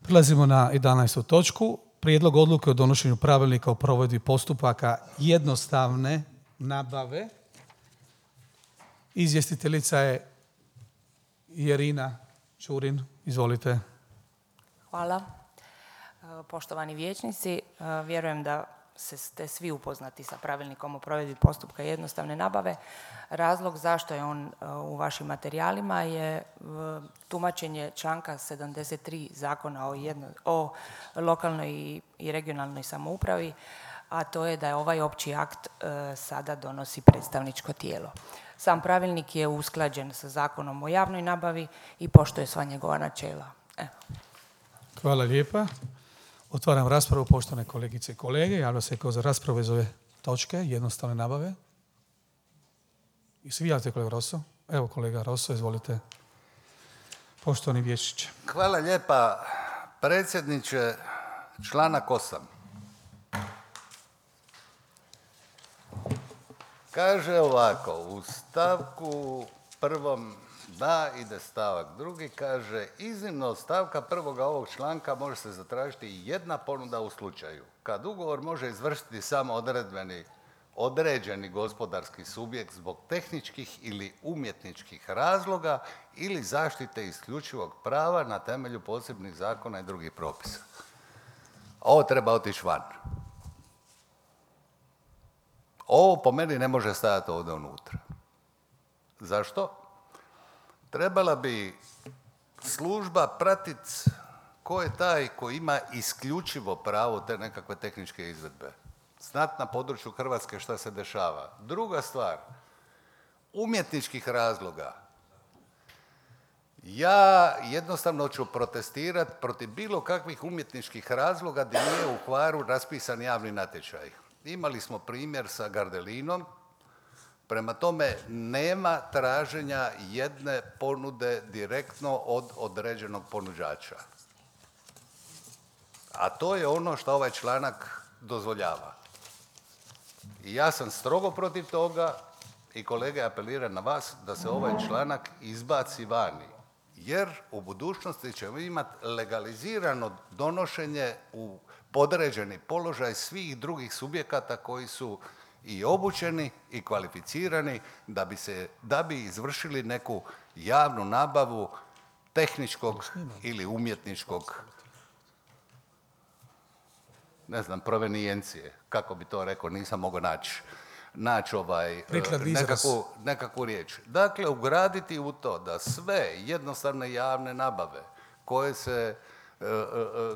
Prelazimo na 11. točku. Prijedlog odluke o donošenju pravilnika o provedbi postupaka jednostavne nabave. Izvjestiteljica je Irina Čurin. Izvolite. Hvala. Poštovani vijećnici, vjerujem da ste svi upoznati sa pravilnikom o provedbi postupka jednostavne nabave. Razlog zašto je on u vašim materijalima je tumačenje članka 73 Zakona o lokalnoj i regionalnoj samoupravi, a to je da je ovaj opći akt sada donosi predstavničko tijelo. Sam pravilnik je usklađen sa Zakonom o javnoj nabavi i poštuje sva njegova načela. Hvala lijepa. Otvaram raspravu, poštovane kolegice i kolege. Javlja se kao za raspravu iz ove točke jednostavne nabave. I svi javite, kolega Rosso? Evo, kolega Rosso, izvolite. Poštovani vijećniče. Hvala lijepa, predsjedniče. Članak 8. Kaže ovako, u stavku 1. da ide stavak 2. kaže iznimno od stavka 1. ovog članka može se zatražiti jedna ponuda u slučaju kad ugovor može izvršiti samo određeni gospodarski subjekt zbog tehničkih ili umjetničkih razloga ili zaštite isključivog prava na temelju posebnih zakona i drugih propisa. Ovo treba otići van. Ovo po meni ne može stajati ovdje unutra. Zašto? Trebala bi služba pratiti ko je taj koji ima isključivo pravo te nekakve tehničke izvedbe. Znat na području Hrvatske šta se dešava. Druga stvar, umjetničkih razloga. Ja jednostavno ću protestirati protiv bilo kakvih umjetničkih razloga gdje nije u Hvaru raspisan javni natječaj. Imali smo primjer sa Gardelinom. Prema tome, nema traženja jedne ponude direktno od određenog ponuđača. A to je ono što ovaj članak dozvoljava. I ja sam strogo protiv toga i kolege apeliram na vas da se ovaj članak izbaci vani. Jer u budućnosti ćemo imati legalizirano donošenje u podređeni položaj svih drugih subjekata koji su i obučeni i kvalificirani da bi izvršili neku javnu nabavu tehničkog ili umjetničkog, ne znam, provenijencije, kako bi to rekao, nisam mogao naći nekakvu riječ. Dakle, ugraditi u to da sve jednostavne javne nabave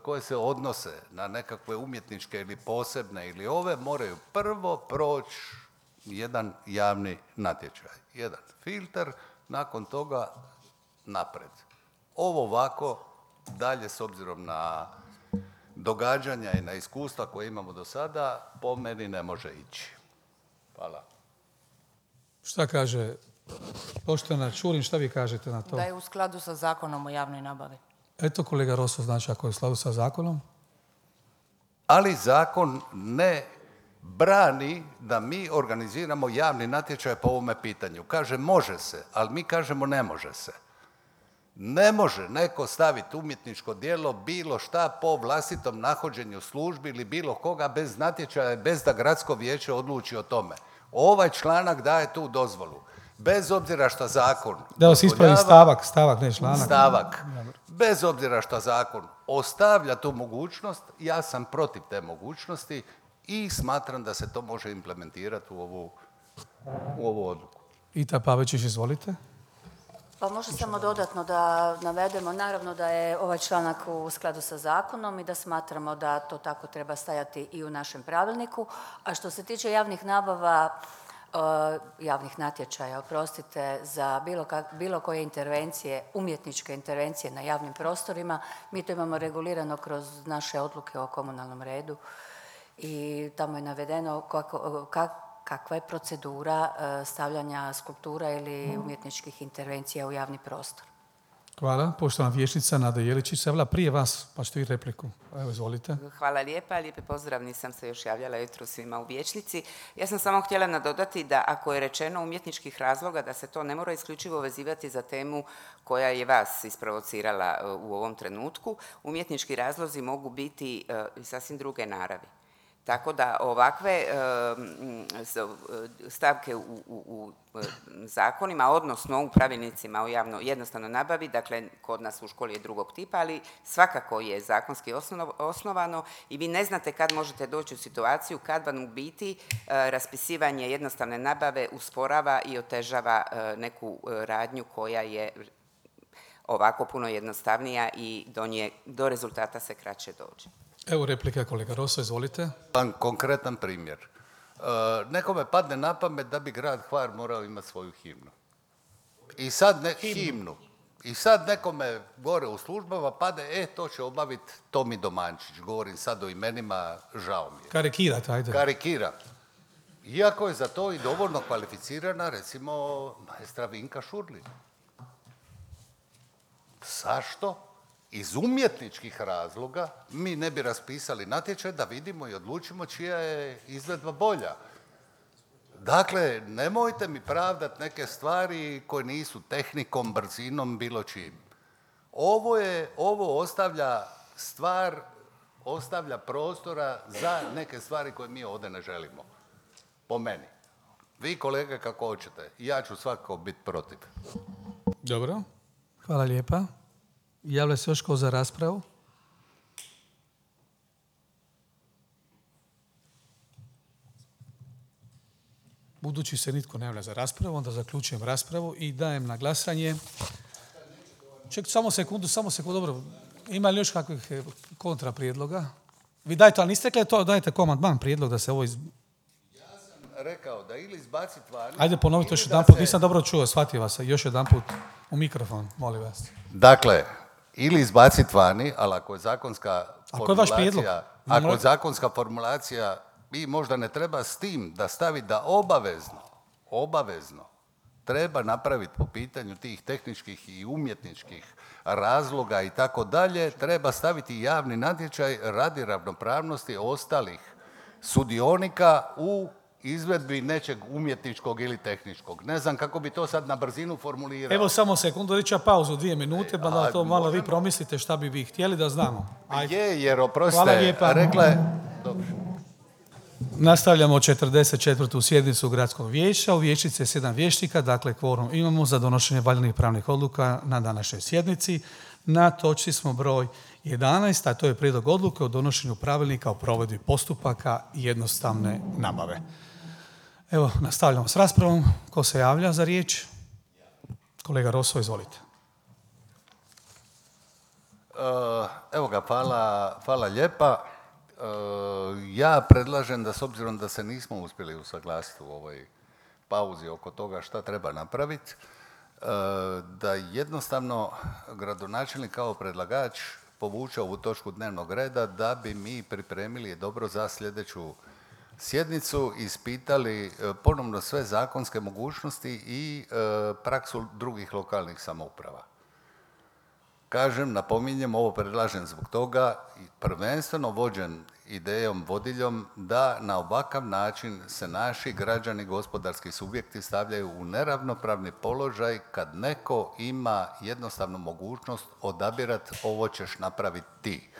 koje se odnose na nekakve umjetničke ili posebne ili ove, moraju prvo proći jedan javni natječaj, jedan filter, nakon toga napred. Ovo ovako dalje, s obzirom na događanja i na iskustva koje imamo do sada, po meni ne može ići. Hvala. Šta kaže poštovana Čurin, šta vi kažete na to? Da je u skladu sa Zakonom o javnoj nabavi. Eto, kolega Rosso, znači ako je u skladu sa zakonom? Ali zakon ne brani da mi organiziramo javni natječaj po ovome pitanju. Kaže može se, ali mi kažemo ne može se. Ne može neko staviti umjetničko djelo bilo šta po vlastitom nahođenju službi ili bilo koga bez natječaja, bez da gradsko vijeće odluči o tome. Ovaj članak daje tu dozvolu. Bez obzira što zakon... Da vas ispravi stavak, ne članak. Stavak. Bez obzira što zakon ostavlja tu mogućnost, ja sam protiv te mogućnosti i smatram da se to može implementirati u ovu odluku. Ita Pavičić, izvolite. Pa može samo dodatno da navedemo, naravno da je ovaj članak u skladu sa zakonom i da smatramo da to tako treba stajati i u našem pravilniku. A što se tiče javnih nabava, javnih natječaja, oprostite, za bilo koje intervencije, umjetničke intervencije na javnim prostorima, mi to imamo regulirano kroz naše odluke o komunalnom redu i tamo je navedeno kakva je procedura stavljanja skulptura ili umjetničkih intervencija u javni prostor. Hvala. Poštovana vijećnica Nada Jeličić se javila prije vas, pa ćete i repliku. Evo, izvolite. Hvala lijepa, lijepi pozdrav, nisam se još javljala jutro svima u vijećnici. Ja sam samo htjela nadodati da ako je rečeno umjetničkih razloga da se to ne mora isključivo vezivati za temu koja je vas isprovocirala u ovom trenutku, umjetnički razlozi mogu biti sasvim druge naravi. Tako da ovakve stavke u zakonima, odnosno u pravilnicima o jednostavnoj nabavi, dakle kod nas u školi je drugog tipa, ali svakako je zakonski osnovano i vi ne znate kad možete doći u situaciju kad vam u biti raspisivanje jednostavne nabave usporava i otežava neku radnju koja je ovako puno jednostavnija i do rezultata se kraće dođe. Evo replika, kolega Rosso, izvolite. Konkretan primjer. Nekome padne na pamet da bi grad Hvar morao imati svoju himnu. I sad nekome gore u službama pade, to će obaviti Tomi Domančić. Govorim sad o imenima, žao mi je. Karikirate, ajde. Karikira. Iako je za to i dovoljno kvalificirana, recimo, maestra Vinka Šurlin. Zašto? Iz umjetničkih razloga mi ne bi raspisali natječaj da vidimo i odlučimo čija je izvedba bolja. Dakle, nemojte mi pravdati neke stvari koje nisu tehnikom, brzinom, bilo čim. Ovo ostavlja prostora za neke stvari koje mi ovdje ne želimo. Po meni. Vi, kolege, kako hoćete. Ja ću svakako biti protiv. Dobro. Hvala lijepa. Javlja se još ko za raspravu? Budući se nitko ne javlja za raspravu, onda zaključujem raspravu i dajem na glasanje. Ček, samo sekundu, dobro. Ima li još kakvih kontra prijedloga? Vi dajte, ali niste rekli to, dajte komandman prijedlog da se ovo Ja sam rekao da ili izbaciti vani... Ajde ponovite još jedan put, nisam dobro čuo, shvatio vas. Još jedan put u mikrofon, molim vas. Dakle, ili izbaciti vani, ali ako je zakonska formulacija, i možda ne treba s tim da stavi da obavezno treba napraviti po pitanju tih tehničkih i umjetničkih razloga i tako dalje, treba staviti javni natječaj radi ravnopravnosti ostalih sudionika u izvedbi nečeg umjetničkog ili tehničkog. Ne znam kako bi to sad na brzinu formulirao. Evo samo sekundu, reći pauzu 2 minute, pa da to malo vi promislite šta bi vi htjeli da znamo. Ajde. Jer oprostite, rekla je... Dobro. Nastavljamo 44. sjednicu Gradskog vijeća. U vijećnici je 7 vijećnika, dakle kvorum imamo za donošenje valjanih pravnih odluka na današnjoj sjednici. Na točci smo broj 11, a to je prijedlog odluke o donošenju pravilnika o provedbi postupaka jednostavne nabave. Evo, nastavljamo s raspravom. Ko se javlja za riječ? Kolega Rosso, izvolite. Evo ga, hvala lijepa. Ja predlažem da s obzirom da se nismo uspjeli usaglasiti u ovoj pauzi oko toga šta treba napraviti, da jednostavno gradonačelnik kao predlagač povuče ovu točku dnevnog reda da bi mi pripremili dobro za sljedeću sjednicu, ispitali ponovno sve zakonske mogućnosti i praksu drugih lokalnih samouprava. Kažem, napominjem, ovo predlažem zbog toga, prvenstveno vođen idejom, vodiljem, da na ovakav način se naši građani, gospodarski subjekti stavljaju u neravnopravni položaj kad neko ima jednostavnu mogućnost odabirati ovo ćeš napraviti ti.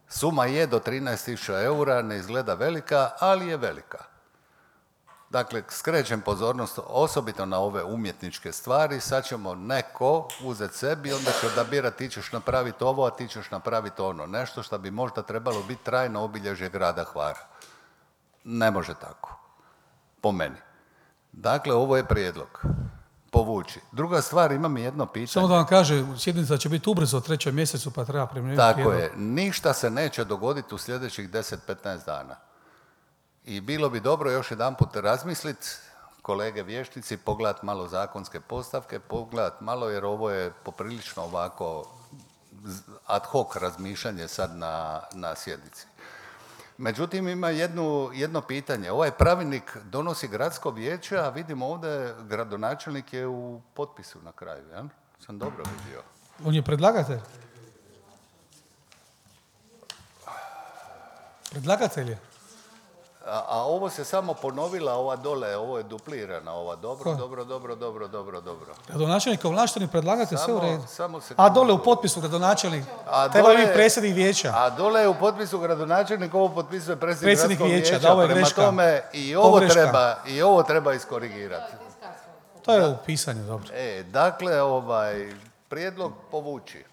Suma je do 13.000 eura, ne izgleda velika, ali je velika. Dakle, skrećem pozornost osobito na ove umjetničke stvari, sad ćemo neko uzeti sebi, onda će odabirati ti ćeš napraviti ovo, a ti ćeš napraviti ono. Nešto što bi možda trebalo biti trajno obilježje grada Hvara. Ne može tako. Po meni. Dakle, ovo je prijedlog. Povući. Druga stvar, imam i jedno pitanje. Samo da vam kaže, sjednica će biti ubrzo u 3. mjesecu, pa treba primjenjivati tako prijedlog. Je. Ništa se neće dogoditi u sljedećih 10-15 dana. I bilo bi dobro još jedanput razmisliti, kolege vijećnici, pogledati malo zakonske postavke, pogledati malo jer ovo je poprilično ovako ad hoc razmišljanje sad na sjednici. Međutim, ima jedno pitanje. Ovaj pravilnik donosi gradsko vijeće, a vidimo ovdje gradonačelnik je u potpisu na kraju. Ja? Sam dobro vidio. On je predlagatelj. Predlagatelj je. A ovo se samo ponovila, ova dole, ovo je duplirana, ova dobro. Gradonačelnik kao ovlašteni predlagatelj, sve u redu. Samo A dole u potpisu gradonačelnik. Treba biti predsjednik vijeća. A dole je u potpisu gradonačelnik, ovo potpisuje predsjednik gradskog vijeća. vijeća. Da, ovo je Prema greška. tome i ovo treba iskorigirati. To je u pisanju, dobro. Dakle, prijedlog povući.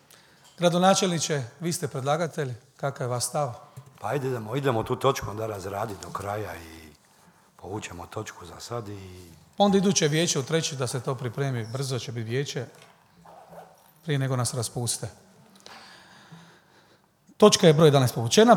Gradonačelniče, vi ste predlagatelj, kakav je vaš stav? Pa ajde, idemo tu točku onda razraditi do kraja i povučemo točku za sad i... Onda iduće vijeće u 3. da se to pripremi, brzo će biti vijeće, prije nego nas raspuste. Točka je broj 11 povučena.